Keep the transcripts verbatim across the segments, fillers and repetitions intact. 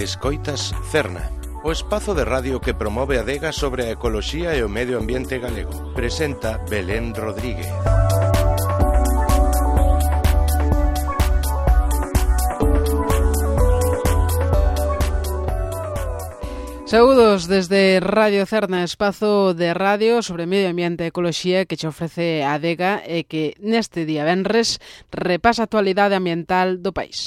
Escoitas Cerna, o espazo de radio que promove a adega sobre a ecoloxía e o medio ambiente galego. Presenta Belén Rodríguez. Saúdos desde Radio Cerna, espazo de radio sobre medio ambiente e ecoloxía que che ofrece a adega e que neste día venres repasa a actualidade ambiental do país.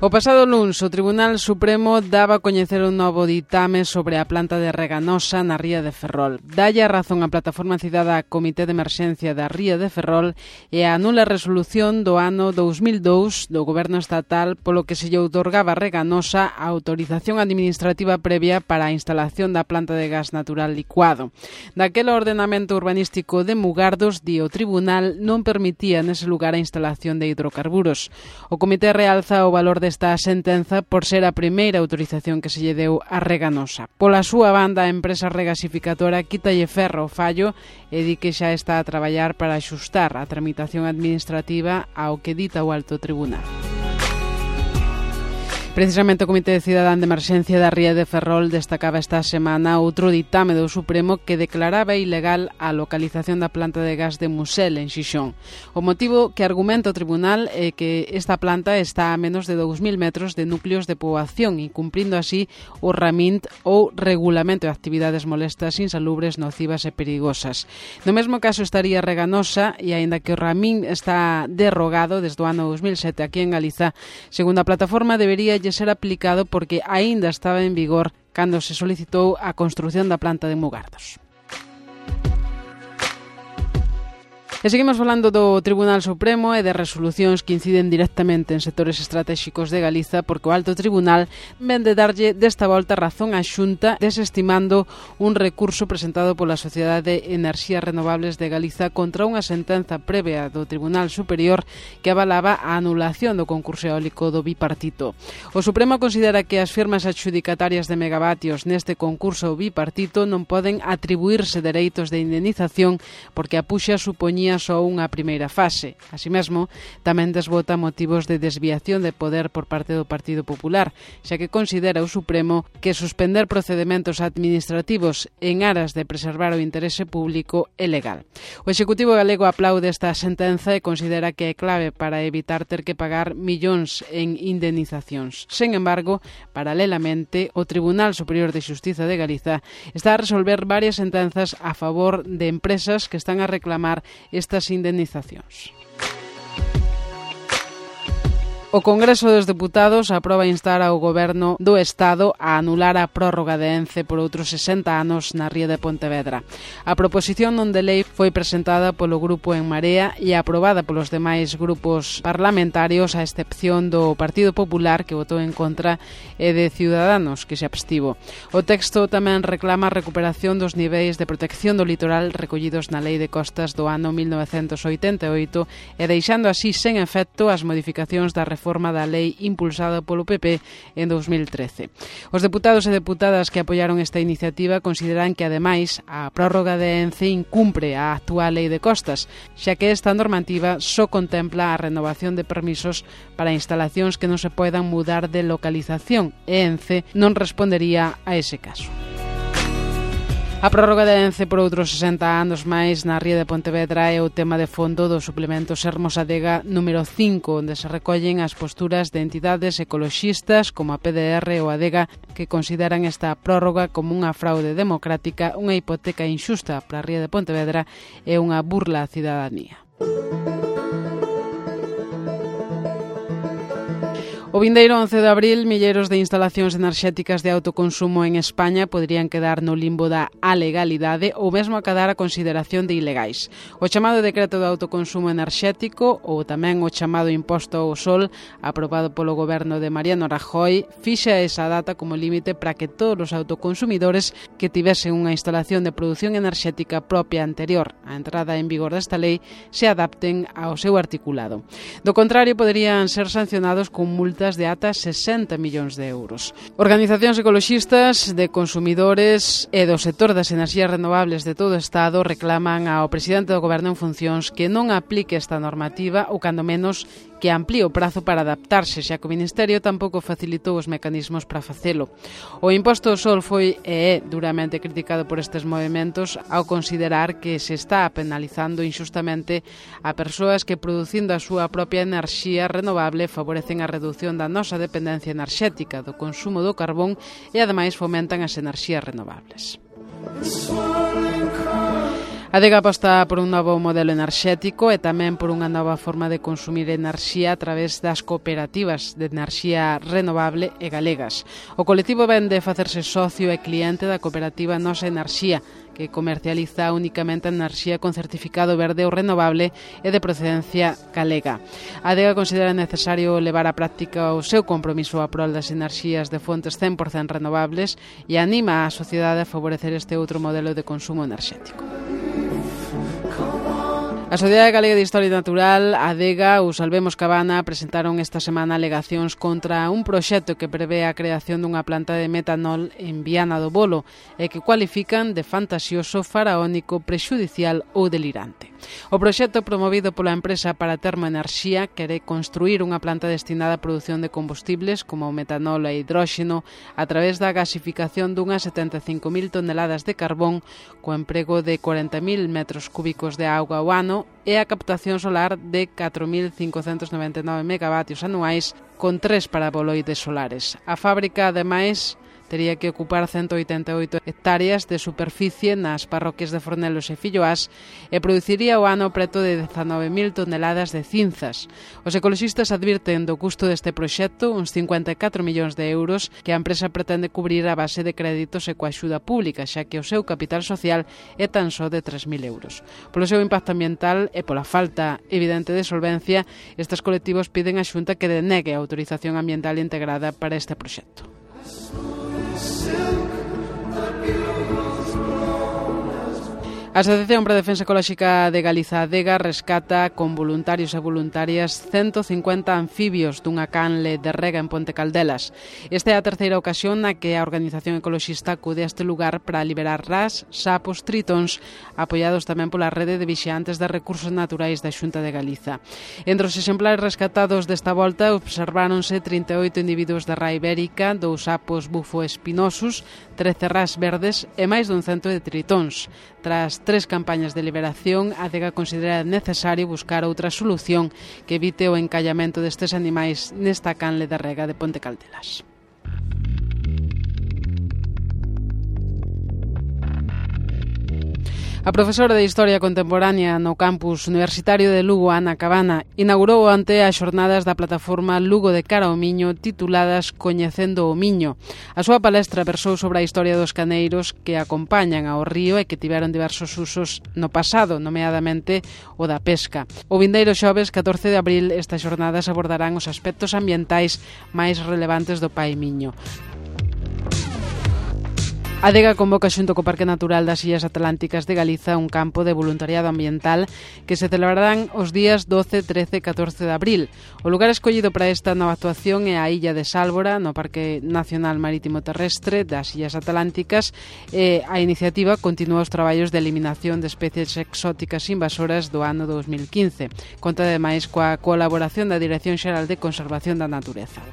O pasado luns, o Tribunal Supremo daba a coñecer un novo ditame sobre a planta de Reganosa na ría de Ferrol. Dalle a razón a Plataforma Cidadá Comité de Emerxencia da ría de Ferrol e a anula resolución do ano dous mil dous do Goberno Estatal polo que se lle outorgaba a Reganosa a autorización administrativa previa para a instalación da planta de gas natural licuado. Daquele ordenamento urbanístico de Mugardos, di o Tribunal, non permitía nese lugar a instalación de hidrocarburos. O Comité realza o valor de esta sentenza por ser a primeira autorización que se lle deu a Reganosa. Pola súa banda, a empresa regasificadora quítalle ferro ao fallo e di que xa está a traballar para axustar a tramitación administrativa ao que dita o Alto Tribunal. Precisamente o Comité Cidadán de Emerxencia da ría de Ferrol destacaba esta semana outro ditame do Supremo que declaraba ilegal a localización da planta de gas de Musel en Xixón. O motivo que argumenta o Tribunal é que esta planta está a menos de dous mil metros de núcleos de poboación e cumprindo así o RAMINT ou Regulamento de Actividades Molestas, Insalubres, Nocivas e Perigosas. No mesmo caso estaría Reganosa e aínda que o RAMINT está derrogado desde o ano dous mil sete aquí en Galiza, segundo a plataforma debería ser aplicado porque aínda estaba en vigor cando se solicitou a construción da planta de Mugardos. E seguimos falando do Tribunal Supremo e de resolucións que inciden directamente en sectores estratégicos de Galiza porque o Alto Tribunal ven de darlle desta volta razón á Xunta desestimando un recurso presentado pola Sociedade de Enerxías Renovables de Galiza contra unha sentenza previa do Tribunal Superior que avalaba a anulación do concurso eólico do bipartito. O Supremo considera que as firmas adxudicatarias de megavatios neste concurso bipartito non poden atribuírse dereitos de indemnización porque a puxa supoñía só unha primeira fase. Así mesmo, tamén desbota motivos de desviación de poder por parte do Partido Popular, xa que considera o Supremo que suspender procedementos administrativos en aras de preservar o interese público é legal. O Executivo galego aplaude esta sentenza e considera que é clave para evitar ter que pagar millóns en indemnizacións. Sen embargo, paralelamente, o Tribunal Superior de Xustiza de Galiza está a resolver varias sentenzas a favor de empresas que están a reclamar estas indemnizacións. O Congreso dos Deputados aproba instar ao Goberno do Estado a anular a prórroga de Ence por outros sesenta anos na ría de Pontevedra. A proposición non de lei foi presentada polo Grupo En Marea e aprobada polos demais grupos parlamentarios a excepción do Partido Popular que votou en contra e de Ciudadanos que se abstivo. O texto tamén reclama a recuperación dos niveis de protección do litoral recollidos na Lei de Costas do ano mil novecentos oitenta e oito e deixando así sen efecto as modificacións da reforma forma da lei impulsada polo P P en dous mil trece. Os deputados e deputadas que apoiaron esta iniciativa consideran que, ademais, a prórroga de Ence incumpre a actual lei de costas, xa que esta normativa só contempla a renovación de permisos para instalacións que non se poidan mudar de localización e Ence non respondería a ese caso. A prórroga de Ence por outros sesenta anos máis na ría de Pontevedra é o tema de fondo do suplemento Sermos Adega número cinco, onde se recollen as posturas de entidades ecoloxistas como a P D R ou Adega que consideran esta prórroga como unha fraude democrática, unha hipoteca inxusta para a ría de Pontevedra e unha burla á cidadanía. O vindeiro once de abril, milleiros de instalacións enerxéticas de autoconsumo en España poderían quedar no limbo da alegalidade ou mesmo acadar a consideración de ilegais. O chamado decreto de autoconsumo enerxético ou tamén o chamado imposto ao sol, aprobado polo goberno de Mariano Rajoy, fixa esa data como límite para que todos os autoconsumidores que tivesen unha instalación de produción enerxética propia anterior á entrada en vigor desta lei se adapten ao seu articulado. Do contrario, poderían ser sancionados con multa multas de ata sesenta millóns de euros. Organizacións ecoloxistas de consumidores e do sector das enerxías renovables de todo o Estado reclaman ao presidente do Goberno en funcións que non aplique esta normativa ou, cando menos, que amplíe o prazo para adaptarse, xa que o Ministerio tampouco facilitou os mecanismos para facelo. O imposto ao sol foi e é duramente criticado por estes movementos ao considerar que se está penalizando injustamente a persoas que, producindo a súa propia enerxía renovable, favorecen a reducción da nosa dependencia enerxética, do consumo do carbón e, ademais, fomentan as enerxías renovables. A Adega aposta por un novo modelo enerxético e tamén por unha nova forma de consumir enerxía a través das cooperativas de enerxía renovable e galegas. O colectivo vén de facerse socio e cliente da cooperativa Nosa Enerxía, que comercializa únicamente enerxía con certificado verde ou renovable e de procedencia galega. A Adega considera necesario levar á práctica o seu compromiso a prol das enerxías de fontes cen por cento renovables e anima a sociedade a favorecer este outro modelo de consumo enerxético. A Sociedade Galega de Historia Natural, a Adega ou Salvemos Cabana presentaron esta semana alegacións contra un proxecto que prevé a creación dunha planta de metanol en Viana do Bolo e que cualifican de fantasioso, faraónico, prexudicial ou delirante. O proxecto promovido pola empresa para Termoenerxía quere construir unha planta destinada á produción de combustibles como o metanol e hidróxeno a través da gasificación dunhas setenta e cinco mil toneladas de carbón co emprego de corenta mil metros cúbicos de auga ao ano e a captación solar de catro mil cincocentos noventa e nove megavatios anuais con tres paraboloides solares. A fábrica, ademais, tería que ocupar ciento oitenta e oito hectáreas de superficie nas parroquias de Fornelos e Filloás e produciría o ano preto de dezanove mil toneladas de cinzas. Os ecoloxistas advirten do custo deste proxecto, uns cincuenta e catro millóns de euros, que a empresa pretende cubrir a base de créditos e coa axuda pública, xa que o seu capital social é tan só de tres mil euros. Polo seu impacto ambiental e pola falta evidente de solvencia, estes colectivos piden á Xunta que denegue a autorización ambiental integrada para este proxecto. A Asociación para a Defensa Ecolóxica de Galiza, Adega, rescata con voluntarios e voluntarias ciento cincuenta anfibios dunha canle de rega en Ponte Caldelas. Esta é a terceira ocasión na que a organización ecoloxista acude a este lugar para liberar ras, sapos, tritóns, apoiados tamén pola rede de vixiantes de recursos naturais da Xunta de Galiza. Entre os exemplares rescatados desta volta observáronse trinta e oito individuos de ra ibérica, dous sapos bufo espinosos, trece ras verdes e máis dun cento de tritóns. Tras tres campañas de liberación, a Adega considera necesario buscar outra solución que evite o encallamento destes animais nesta canle de rega de Ponte Caldelas. A profesora de Historia Contemporánea no campus universitario de Lugo, Ana Cabana, inaugurou ante as xornadas da plataforma Lugo de Cara ao Miño tituladas Coñecendo o Miño. A súa palestra versou sobre a historia dos caneiros que acompañan ao río e que tiveron diversos usos no pasado, nomeadamente o da pesca. O vindeiro xoves catorce de abril estas xornadas abordarán os aspectos ambientais máis relevantes do Pai Miño. A Adega convoca xunto co Parque Natural das Illas Atlánticas de Galiza un campo de voluntariado ambiental que se celebrarán os días doce, trece e catorce de abril. O lugar escollido para esta nova actuación é a Illa de Sálvora, no Parque Nacional Marítimo Terrestre das Illas Atlánticas, e a iniciativa continúa os traballos de eliminación de especies exóticas invasoras do ano dos mil quince. Conta ademais coa colaboración da Dirección Xeral de Conservación da Natureza.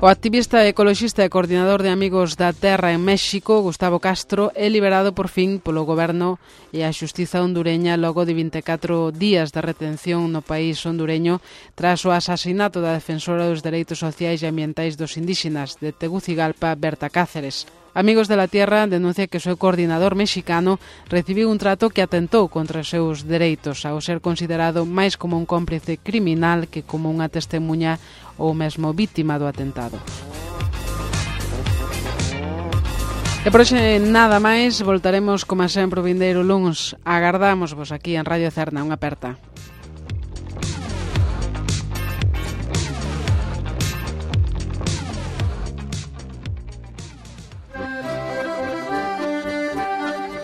O activista ecoloxista e coordinador de Amigos da Terra en México, Gustavo Castro, é liberado por fin polo goberno e a xustiza hondureña logo de vinte e catro días de retención no país hondureño tras o asasinato da defensora dos dereitos sociais e ambientais dos indígenas de Tegucigalpa, Berta Cáceres. Amigos de la Tierra denuncia que o seu coordinador mexicano recibiu un trato que atentou contra os seus dereitos ao ser considerado máis como un cómplice criminal que como unha testemunha ou mesmo vítima do atentado. E por hoxe nada máis, voltaremos como sempre o vindeiro luns. Agardamos vos aquí en Radio Cerna, unha aperta.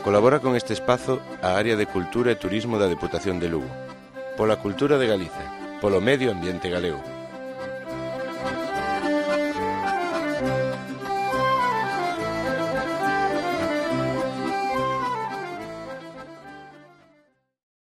Colabora con este espazo a Área de Cultura e Turismo da Deputación de Lugo. Pola cultura de Galiza, polo medio ambiente galego.